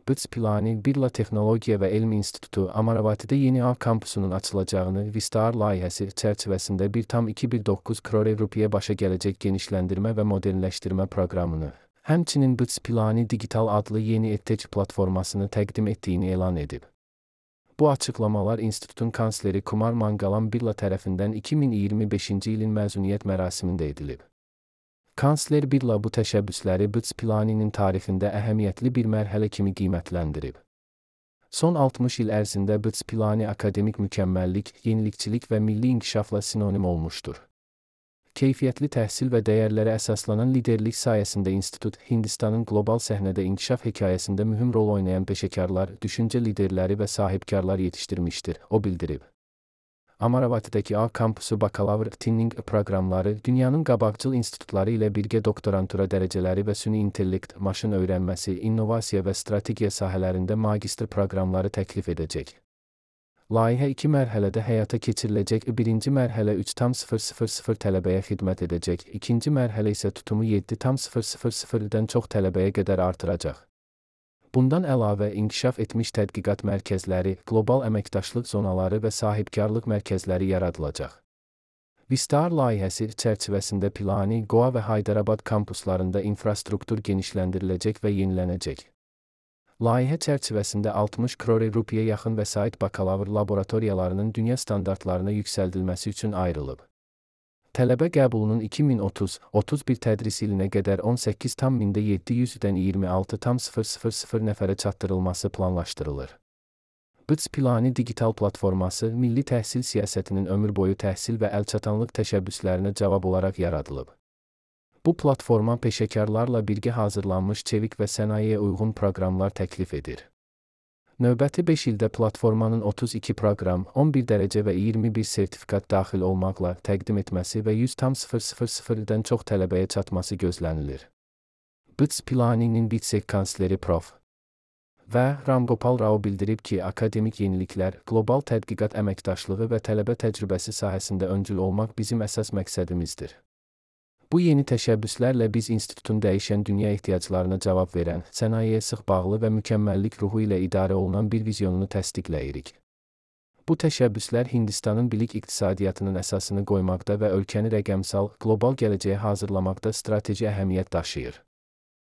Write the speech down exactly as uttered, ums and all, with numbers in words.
BITS Pilani Birla Texnologiya və Elm İnstitutu Amaravatidə yeni A kampusunun açılacağını Vistar layihəsi çərçivəsində bir tam iki nöqtə doqquz crore rupiyə başa gələcək genişləndirmə və modernləşdirmə proqramını, həmçinin BITS Pilani Digital adlı yeni edtech platformasını təqdim etdiyini elan edib. Bu açıqlamalar institutun kansleri Kumar Mangalam Birla tərəfindən iki min iyirmi beşinci ilin məzuniyyət mərasimində edilib. Kansler Birla bu təşəbbüsləri BITS Pilani'nin tarixində əhəmiyyətli bir mərhələ kimi qiymətləndirib. Son altmış il ərzində BITS Pilani akademik mükəmməllik, yenilikçilik və milli inkişafla sinonim olmuşdur. Keyfiyyətli təhsil və dəyərlərə əsaslanan liderlik sayəsində institut, Hindistanın qlobal səhnədə inkişaf hekayəsində mühüm rol oynayan peşəkarlar, düşüncə liderləri və sahibkarlar yetişdirmişdir, o bildirib. Amaravatidəki A kampusu bakalavr tinning proqramları dünyanın qabaqcıl institutları ilə birgə doktorantura dərəcələri və süni intellekt, maşın öyrənməsi, innovasiya və strategiya sahələrində magistr proqramları təklif edəcək. Layihə iki mərhələdə həyata keçiriləcək. Birinci mərhələ üç nöqtə sıfır sıfır sıfır tələbəyə xidmət edəcək, ikinci mərhələ isə tutumu yeddi nöqtə sıfır sıfır sıfırdan çox tələbəyə qədər artıracaq. Bundan əlavə, inkişaf etmiş tədqiqat mərkəzləri, qlobal əməkdaşlıq zonaları və sahibkarlıq mərkəzləri yaradılacaq. Vistar layihəsi çərçivəsində Pilani, Goa və Haydarabad kampuslarında infrastruktur genişləndiriləcək və yenilənəcək. Layihə çərçivəsində altmış crore rupiyə yaxın vəsait bakalavr laboratoriyalarının dünya standartlarına yüksəldilməsi üçün ayrılıb. Tələbə qəbulunun iki min otuz otuz bir tədris ilinə qədər on səkkiz min yeddi yüzdən iyirmi altı nöqtə sıfır sıfır sıfır nəfərə çatdırılması planlaşdırılır. BITS Pilani digital platforması, milli təhsil siyasətinin ömür boyu təhsil və əlçatanlıq təşəbbüslərinə cavab olaraq yaradılıb. Bu platforma peşəkarlarla birgə hazırlanmış çevik və sənayeyə uyğun proqramlar təklif edir. Növbəti beş ildə platformanın otuz iki proqram, on bir dərəcə və iyirmi bir sertifikat daxil olmaqla təqdim etməsi və yüz nöqtə sıfır sıfır sıfırdan çox tələbəyə çatması gözlənilir. BITS Pilani'nin BITSEC kansleri Prof. və Ram Gopal Rao bildirib ki, akademik yeniliklər, qlobal tədqiqat əməkdaşlığı və tələbə təcrübəsi sahəsində öncül olmaq bizim əsas məqsədimizdir. Bu yeni təşəbbüslərlə biz institutun dəyişən dünya ehtiyaclarına cavab verən, sənayeyə sıx bağlı və mükəmməllik ruhu ilə idarə olunan bir vizyonunu təsdiqləyirik. Bu təşəbbüslər Hindistanın bilik iqtisadiyyatının əsasını qoymaqda və ölkəni rəqəmsal, qlobal gələcəyə hazırlamaqda strateji əhəmiyyət daşıyır.